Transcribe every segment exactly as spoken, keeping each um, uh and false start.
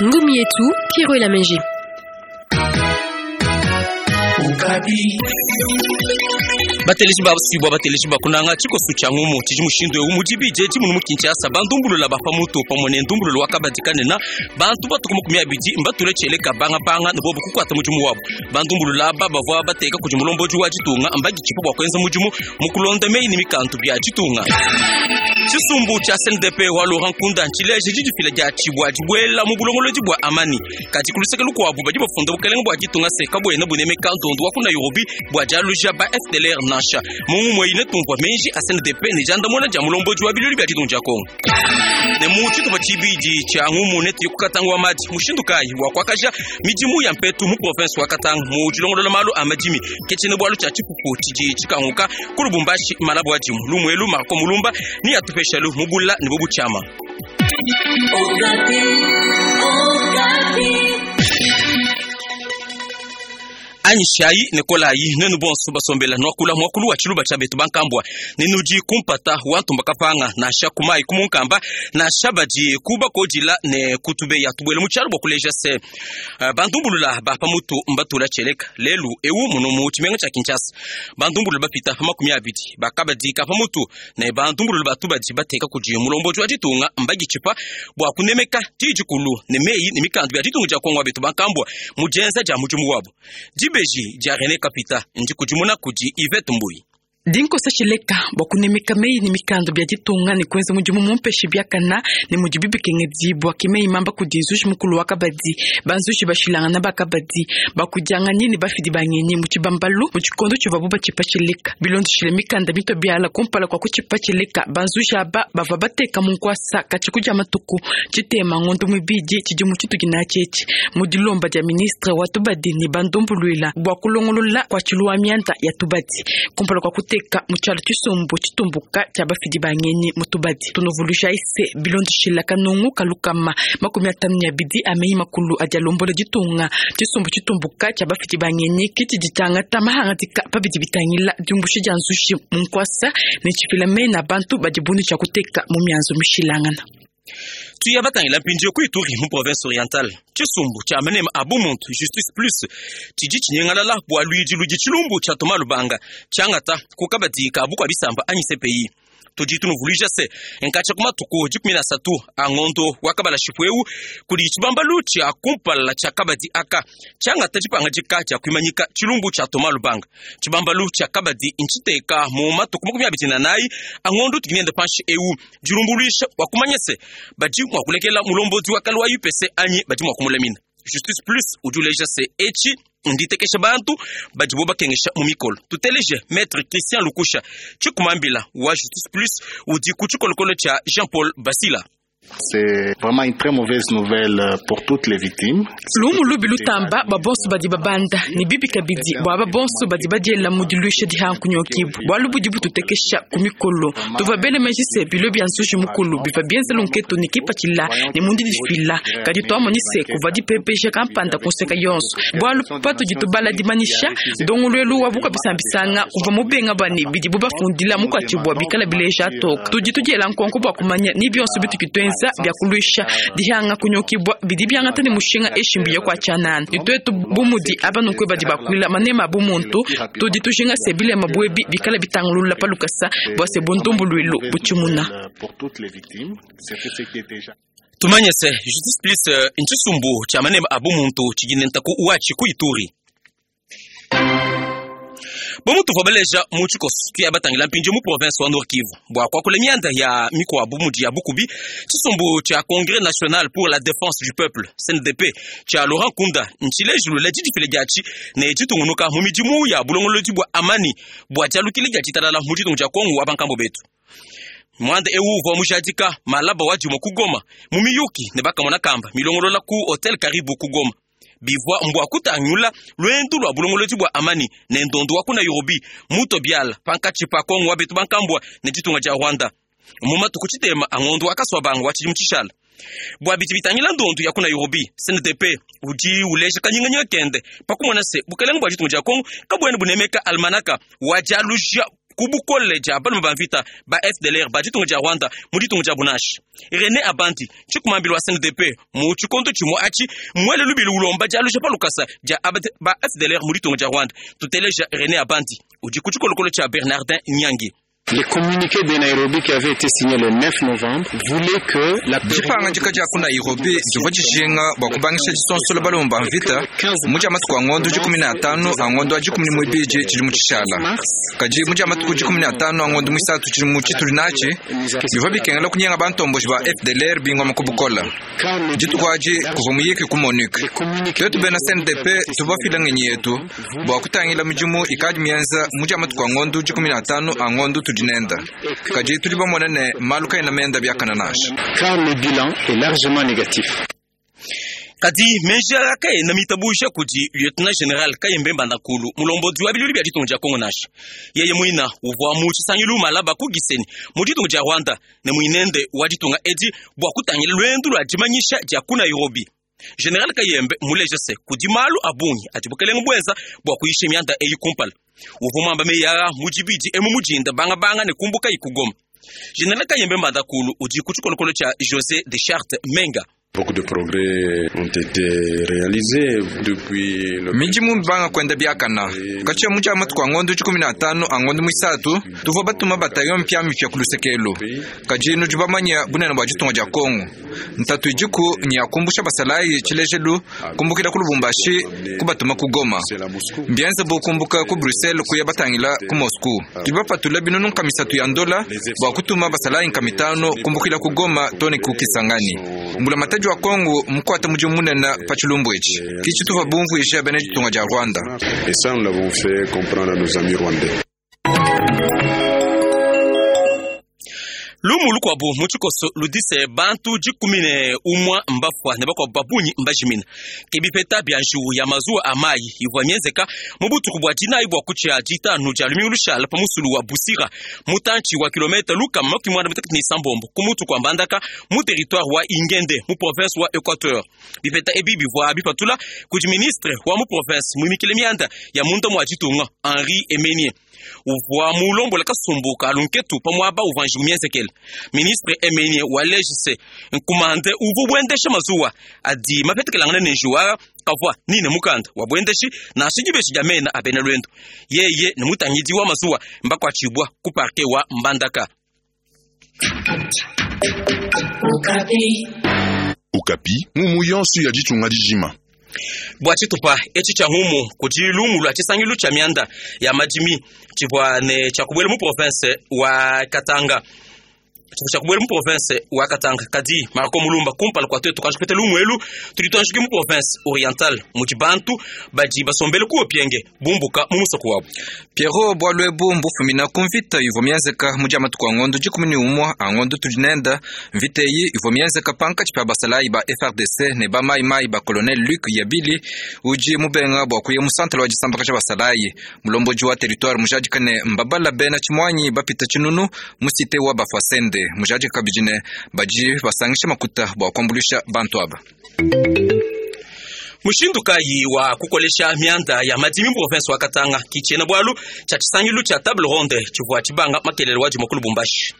Ngumu yetu Pierrot Lamenge. Bateleji basibwa bateleji bakunanga tshikoso tshia ngumu tshidi mushindu eu mudibije tshimunu mu Kinshasa bandumbulula ba pamutu pamue ne ndumbululu wa kabadi kanena bantu batuku makumi abidi mbatule tshieleka bangabanga ne bobu kukuata mudimu wabu. Bandumbulula aba bavua bateka kudi mulombodi wa ditunga mbaditshipa bua kuenza mudimu mu kulonda meyi ne mikandu bia ditunga. Tshisumbu tshia C N D P wa Laurent Nkunda ntshileje didifila dia tshibua dibuela mu bulongolodi bua amani kadi ku luseke lukuabu badi bafunda bukelenge bua ditunga se kabuena bunemeka ndondu wa ku Nairobi bua dialuja ba F D L R nansha. Mungu mweyine tumvua menji a C N D P ne diandamuna dia mulombodi wa bilulu bia ditunga dia Kongo. Ne mu tshitupa tshibidi tshia ngumu ne tuye ku Katanga wa madi mushindu kayi wa kuakaja midimu ya mpetu mu province wa Katanga mu dilongolola malu a madimi ke tshiena bualu tshia tshipupu tshidi tshikanguka ku Lubumbashi malabu wa dimu lumuelu Marco Mulumba ni atupeshalu mubula ne bobu tshiama. Anyishayi ne kolayi nenu bonso basombela nwakula mwakulu wa tshiluba tshia betu bankambua nenudi kumpata wantumba kapanga nansha kumayi kumunkamba nansha badi kubakodila ne kutubeya tubuele mu tshialu bua kuleja se uh, bandumbulula ba pamutu mbatula tshieleka lelu ewu muno mu tshimenga tshia Kinshasa bandumbulula bapita pa makumi abidi bakabadika pamutu ne bandumbulula batu badi bateka kudi mulombodi wa ditunga mbagitshipa bua kunemeka didikulu ne meyi ne mikandu bia ditunga dia Kongo wa betu bankambua mu dienza dia mudimu wabu. Dibeji dia René Kapita ndikudimuna kudi Yvette Mbuyi. Dinkosa tshileka bua kunemeka meyi ne mikando bia ditunga ne kuenza mudimu mumpeshe biakana ne mudibi bikengedibua ke meyi mamba kudi nzuji mukulu wa kabadi banzuji bashilangana bakabadi bakudianganyi ne bafidi bangenyi mu tshibambalu mu tshikondo tshivuabu batshipa tshileka bilondeshile mikanda mito biala kumpala kua kutshipa tshileka banzuji aba bavua bateka mu nkuasa katshi kudia matuku tshitema ngondo muibidi tshidimu tshituki natshi mu dilomba dia ministre wa tubadi ne bandumbuluila bua kulongolola kua tshiluwa mianda ya tubadi kumpala kua kuteka mu tshialo tshisumbu tshitumbuka tshia bafidi bangenyi mu tubadi tunovuluja ise bilondeshila kanungu kalukama makumi atanu ne abidi a meyi makulu adi alombola ditunga tshisumbu tshitumbuka tshia bafidi bangenyi kitshidi tshiangata mahangadika pabidi bitangila diumbusha dia nzuji mu nkuasa ne tshifila mena bantu badi bundu tshia kuteka mu mianzu mishilangana. Tuya batangila mpindieu ku Ituri mu province orientale tshisumbu tshia manema a bumuntu Justice Plus tshidi tshinyengalala bua luidi ludi tshilumbu tshia Thomas Lubanga tshiangata ku kabadi ka bukua bisamba anyi C P I. Tudi tunuvuluija se nkatshia ku matuku dikumi na asatu a ngondo wa kabala shipu eu kudi tshibambalu tshia kumpala tshia kabadi aka tshiangata dipangadika dia kuimanyika tshilumbu tshia Thomas Lubanga. Tshibambalu tshia kabadi ntshiteka mu matuku makumi abidi na anayi a ngondo tukinende panshi eu dilumbuluisha bua kumanya se badi mua kulekela mulombodi wa kale wa U P C anyi badi mua kumulamina. Justice Plus udi uleja se etshi nditekesha bantu badibo bakengesha mu mikolo. Tuteleje Maître Christian Lukusha tshikumambila wa Justice Plus udi ku tshikolokolo tshia Jean-Paul Basila. C'est vraiment une très mauvaise nouvelle pour toutes les victimes. Lumu lubi lutamba babonso badi babanda ne bibi kabidi bua babonso badi badiela mu diluisha dihankunyokibu bualu budi bututekesha ku mikolo tuva bele meji se bilo bia nzuji mukulu biva bienza lunketu ne kipatshila ne mundi difila kadi tuamoni se kuva dipepeja kampanda kunseka yonso bualu patudi tubala dimanyisha ndongoluelu wa bukabisambisanga kuva mubenga bane bidibu bafundila mukwatshibua bikala bileja atoka tudi tudiela nkonko bua kumanya ni bionso bitukituenza bya kuluisha dihanga kunyokibwa bidi byangata ne mushinga eshimbi ya kwa tshanana nitwetu bumudi abanukwe badi bakwila manema bumuntu tudi tujinga sebile mabwebi bikala bitangulula palukasa bua se bundumbuluilu butshimuna. Tumanye se Justice Plus ntshisumbu tshia manema a bumuntu tshidi ntaku watshi ku Ituri. Bomutu vobeleja mu tshikoso tuya batangila mpindieu mu province wa Nord Kivu bua kuakula mianda ya mikuabu mudi ya bukubi tshisumbu tshia Congrès national pour la défense du peuple C N D P tshia Laurent Nkunda ntshilejilula didifile diatshi ne ditungunuka mu midimu ya bulongolodi bua amani bua dialukile dia ditalala mu ditunga dia Kongo wa bankambo betu. Mwanda ewu uvua mujadika malaba wa dimue ku Goma mu miyuki ne bakamona kamba milongolola ku Hotel Karibu ku Goma. Bivua mbua kutangula lwendu lwa bulongolodi bua amani ne ndondo wa ku Nairobi muto biala pankatshi pa Kongo wa betu bankambua ne ditunga dia Rwanda mu matuku tshitema a ngondo wa kasua bango wa tshidimu tshishala. Bua bidi bitangila ndondo ya ku Nairobi C N D P udi uleja kanyinganyinga kende pakumona se bukelenge bua ditunga dia Kongo kabuena bunemeka almanaka wa dialuja Ku bukole dia balume ba mvita ba F D L R ba ditunga dia Rwanda mu ditunga dia Bunashi. René Abandi tshikumambila wa C N D P mu tshikondo tshimue atshi mwele lubili ulomba dia luja pa lukasa dia ba F D L R mu ditunga dia Rwanda. Tuteleja René Abandi udi ku tshikolokolo tshia Bernardin Nyangi. Le communiqué de Nairobi qui avait été signé le neuf novembre voulait que la Dipanga dia ku Nairobi divua dijinga bua kubangisha disonsola balume ba mvita mu dia matuku a ngondo dikumi na atanu a ngondo a dikumi ne muibidi tshidi mu tshishala. Kadi mu dia matuku dikumi na atanu a ngondo muisatu tshidi mu tshituli natshi bivua bikengela kunyenga bantomboji ba F D L R bingoma ku bukola. Dituku adi kuvua muyiki ku MONUC. Twetu bena C N D P tuvua fila ngenyi yetu bua kutangila midimu ikadi mienza mu dia matuku a ngondo dikumi na atanu a ngondo nenda. Kadi tudi bamona ne malu kaena menda biakana nansha. Car le bilan est largement négatif. Kadi menjara kaena mitabusha kudi lieutenant général Kayembe Mbandakulu mulombodi wa bilulu bia ditunga dia Kongo nansha. Yeye muina uvua mu tshisangilu malaba ku Gisenyi mu ditunga dia Rwanda ne muinende wa ditunga edi bua kutangila lwendu lua dimanyisha dia ku Nairobi. Général Kayembe muleje se kudi malu a bungi adi bukelenge bwenza bua kuyisha mianda eyi kumpala. Uvua muamba meyara mujibidi emu mujinda banga banga ne kumbuka ikugoma. Général Kayembe Mbandakulu udi ku tshikolokolo tshia José de Charte Menga. Beaucoup de progrès ont été réalisés depuis le Midimu banga kwenda biakana. Katia muja matuku a ngondo dikumi na atanu a ngondo muisatu tuvua batuma bataillon mpya mipya ku lusekelo. Kadi nudi bamanya bunene bua ditunga dia Kongo. Ntatu idiku nyakumbusha basalayi tshilejelu kumbukila ku Lubumbashi kubatuma ku Goma. Mbienze bokumbuka ku Bruxelles kuya batangila ku Moscou. Tudi bapatula binunu nkamisatu ya ndola bua kutuma basalayi nkamitano kumbukila ku Goma tone ku Kisangani. Mbula matadi wa Kongo mkwata mudimu munene pa tshilumbu etshi. Kitshi tuva bumvuisha bena ditunga dia Rwanda. Et ça, nous l'avons fait comprendre à nos amis rwandais. Lumu lukwabu mu tshikoso ludise bantu dikumi ne umwa mbafwa ne bakwabu babunyi mbajimina. Kebipeta bia njiwu ya mazuwa a mayi ivua mienzeka mu butuku bua dinayi bua kutshia ditanu dia lumingu lushala pa musulu wa Busira mutantshi wa kilomita lukama makumi muanda mutekete ne isambombo ku mutu kua Mbandaka mu territoire wa Ingende mu province wa Equateur. Bipeta ebi bivua bipatula kudi ministre wa mu province muimikile mianda ya munda mua ditunga Henri Emenie. Uvua mulombola kasumbu ka lunketu pa muaba uvua njiwu mienzekele. Ministre Emenie wa lejise nkumande uvu bwendesha mazuwa adi mapetekelangana ne njiwa kavua nine mukanda wa bwendeshi na shijibeshi dia mena abena lwendo. Yeye ne mutangidi wa mazuwa mbakwatshibwa ku parke wa Mbandaka. Okapi mumu yonso ya ditunga dijima. Bua tshitupa etshi tshia humu kudi lumu lua tshisangilu tshia mianda ya madimi tshivua ne tshia kubuela mu province wa Katanga. Tshivua kubuela mu province wa Katanga kadi Marco Mulumba kumpala kua twetu kanji lumu elu tudi tuanjiki mu province orientale mudi bantu badi basombele ku opienge bumbuka mu musoko wabu. Pierrot bwalwebu mbufumina ku mvita ivua mienzeka mu dia matuku a ngondo dikumi ne umua a ngondo tudi nenda. Mvita eyi ivua mienzeka pankatshi pa basalayi ba F R D C ne ba mayimayi ba colonel Luc Yabili udi mubenga bua kuya mu centre wa disambaka tshia basalayi. Mulomboji wa territoire mujadika ne mbabala bena tshimuanyi bapita tshinunu mu cité wa Bafwasende. Mujadika kabidi ne badi basangisha makuta bua kuambulisha bantu aba. Mushindu kayi wa kukolesha mianda ya madimi mu province wa Katanga kichena bwalu cha tshisangilu cha table ronde tshivua tshibanga makelele wa dima ku Lubumbashi.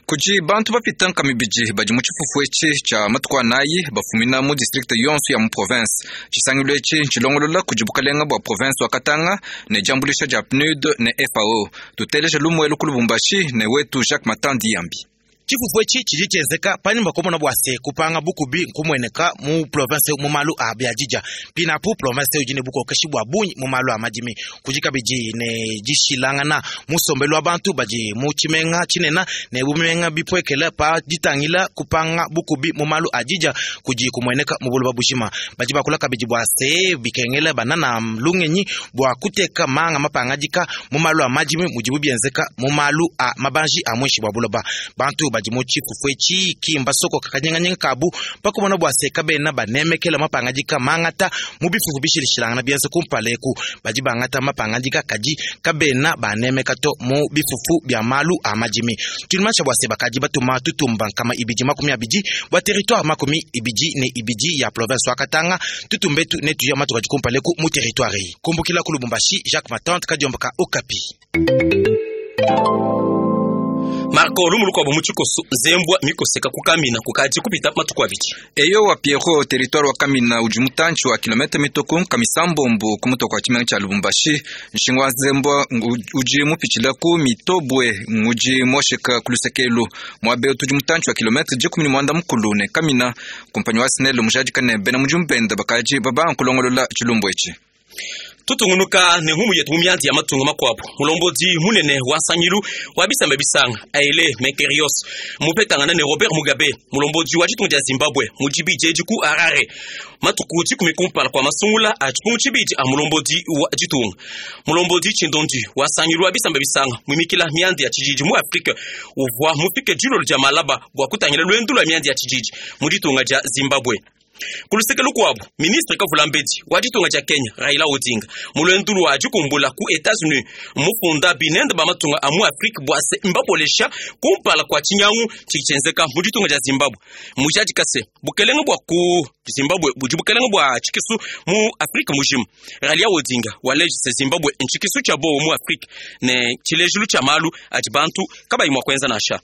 Kudi bantu bapita nkamibidi badi mu tshifufu etshi tshia matuku anayi bafumina mu district yonso ya mu province. Tshisangilu etshi ntshilongolola kudi bukalenga bua province wa Katanga ne diambulisha dia P N U D ne F A O. Tuteleje lumuelu ku Lubumbashi ne wetu Jacques Matandi Yambi. Tshifufu etshi tshidi tshienzeka panyima komona bua se kupanga bukubi nkumueneka mu province mu malu a biadija. Pinapu province udi ne bukokeshi bua bungi mu malu a madimi. Kudi kabidi ne dishilangana musombelu wa bantu badi mu tshimenga tshinena ne bumenga bipuekela pa ditangila kupanga bukubi mu malu a dija kudi kumueneka mu buloba bujima. Badi bakula kabidi bua se bikengela banana lungenyi bua kuteka manga mapangadika mu malu a madimi mudibu bienzeka mu malu a mabanji a mwishi bua buloba. Bantu badi mu tshifufu etshi kimba soko kakanyenganyenge kabu pakumona bua se kabena banemekela mapangadika mangata mu bifufu bishilishilangana bienze kumpala eku. Badi bangata mapangadika kadi kabena banemeka to mu bifufu bia malu a madimi. Tulimansha bua se bakadi batuma tutumba nkama ibidi makumi abidi bua territoire makumi ibidi ne ibidi ya province wa Katanga tutumbetu ne tuya matuka kumpala eku mu territoire eyi. Kumbukila ku Lubumbashi, Jacques Matante Kadiomboka Okapi. Marco lumuluko abo muchikoso zembwa mikoseka kukamina kukaji kupita matuku abidi. Eyo wa Pierrot territoire wa Kamina udi mutantshi wa kilomita mituku kamisambombo kumuto kwa tshimenga tshia Lubumbashi. Nshingu wa zembwa udi mupitshila ku mitobwe ngudi mosheka kulusekelu mwabe tudi mutantshi wa kilomita dikumi ne muanda mukulu ne Kamina. Kumpanyi wa Snel mujadika ne bena mujumbenda bakaji baba nkulongolola tshilumbu etshi. Tutungunuka ne humu yetu mumyanzi ya matungo makwabo mulombodi munene wa nsangilu wa bisamba bisanga Haile Menkerios mupetangana ne Robert Mugabe mulombodi wa ditunga dia Zimbabwe mujibi jeji ku Harare matuku dikumi kumpala kwa masungula a tshipungu tshibidi a mulombodi wa ditunga. Mulombodi tshindondi wa nsangilu wa bisamba bisanga mwimikila myandi ya tshijiji mu Afrika uvwa mufike dilolo dia malaba bua kutangila lwendu lwa myandi ya tshijiji mu ditunga dia Zimbabwe. Kuluseke lukwabo ministre Kavulambedi wa ditunga dia Kenya Raila Odinga mulwendu lwa dikumbula ku Etats-Unis mufunda binende ba matunga a mu Afrika bua se mbabolesha kumpala kwa tshinyangu tshikitshenzeka mu ditunga dia Zimbabwe. Mujadika se bukelenge bua ku Zimbabwe budi bukelenge bua tshikisu mu Afrika mujima. Raila Odinga walejise Zimbabwe ntshikisu tshia bowo mu Afrika ne tshilejelu tshia malu adi bantu kabayi mua kuenza nansha.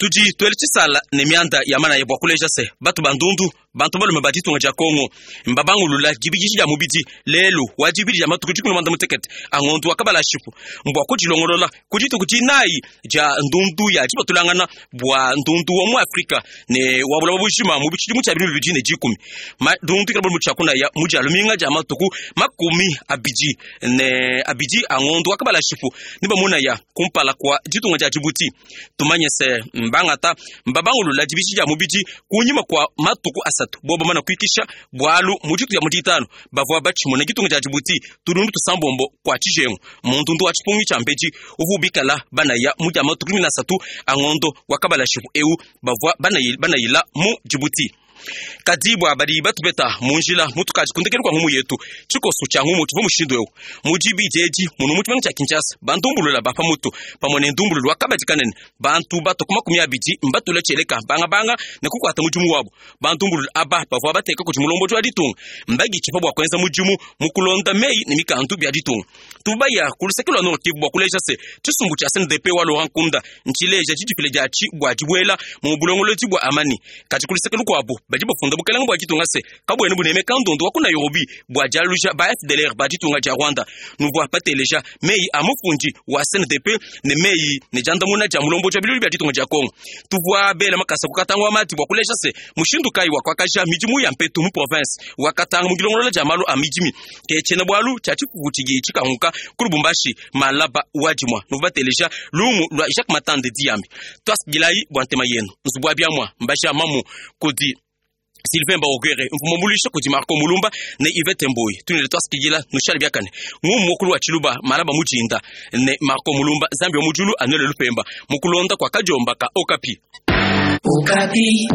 Tudi twele tshisala ne mianda ya mana ya bua kuleja se batu bandundu bantu balume ba ditunga dia Kongo mbabangulula dibidiji dia mubidi lelu wa dibidi dia matuku dikumi na muanda mutekete angondu wakabala shipu mbwa kudilongolola kudituku dinayi dia ndundu ya dibatulangana bua ndundu wa mu Afrika ne wa bulaba bujima mu tshidimu tshia bibili bibidi ne dikumi ndundu ikala bulu tshiakuna ya mu dia luminga dia matuku makumi abidi ne abidi angondu wakabala shipu ne bamuna ya kumpala kwa ditunga dia Djibouti. Tumanye se mbangata mbabangulula dibidi dia mubidi kunyima kwa matuku asatu boba mana kuikisha bwalu mujitu ya mutitano bavwa bachimona gitunga dia Djibouti tulundu tusambombo kwa tshijengu mundundu wa tshipungi tshia mbeji uvubikala banaya mudia matuku kumi na asatu angondo wakabala shipu eu bavwa banayila mu Djibouti. Kadibwa badi batubeta munjila mutukaji kundekelu kwa ngumu yetu tshikoso tshia ngumu tshivua mushindu eu mujibi jeji munu mutshimenga tshia Kinshasa bandumbulula ba pamutu pamwe ne ndumbululu wakabadi kanene bantu bato ku makumi abidi mbatula tshieleka bangabanga ne kukwata mudimu wabo. Bandumbulula aba bavua bateka kudi mulombodi wa ditunga mbagi tshipa bua kuenza mudimu mukulonda meyi ne mikandu bia ditunga. Tubaya kuluseke lwa Nord Kivu bua kuleja se tshisumbu tshia C N D P wa Laurent Nkunda ntshileja tshidipile dia tshi bua dibuela mu bulongolodi bua amani kati kuluseke lukuabu badi bafunda bukelenge bua ditunga se kabwene bunemeka ndondo wa ku Nairobi bua dialuja ba F D L R ba ditunga dia Rwanda. Nuvua pateleja meyi a mufundi wa C N D P ne meyi ne diandamuna dia mulombo dia bilulu bia ditunga dia Kongo. Tuvua bela makasa kukatanga wa mati bua kuleja se mushindu kayi wa kuakaja midimu ya mpetu mu province wakatanga mu dilongolola dia malu a midimi ke tshiena bualu tshia tshifufu tshidi tshikanguka ku Lubumbashi malaba wa dimua. Nuvua bateleja lumu lua Jacques Matande Diambi twasigilayi bua ntema yenu nzubu wa biamua mbaja mamu kudi Sylvain Baogere mvumumulisha kudi Marco Mulumba ne Yvette Mboyi tunele twasikigila nushali biakane ngumu mukulu wa Chiluba malaba mujinda ne Marco Mulumba Zambi wa mujulu anele lupemba mukulonda kwa kajomba ka Okapi. Okapi.